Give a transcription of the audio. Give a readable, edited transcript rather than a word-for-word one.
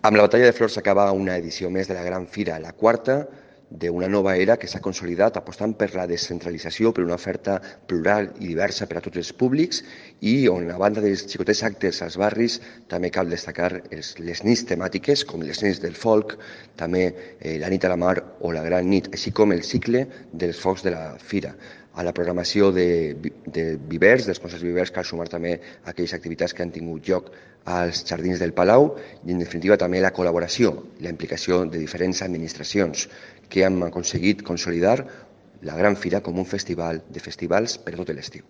Amb la Batalla de Flors s'acaba una edició més de la Gran Fira, la quarta d'una nova era que s'ha consolidat apostant per la descentralització, per una oferta plural i diversa per a tots els públics i on, a banda dels xicotets actes als barris, també cal destacar les nits temàtiques, com les nits del folk, també la nit a la mar o la gran nit, així com el cicle dels focs de la fira. A la programació de vivers, dels concerts vivers, cal sumar també aquelles activitats que han tingut lloc als jardins del Palau i, en definitiva, també la col·laboració i la implicació de diferents administracions que han aconseguit consolidar la Gran Fira com un festival de festivals per tot l'estiu.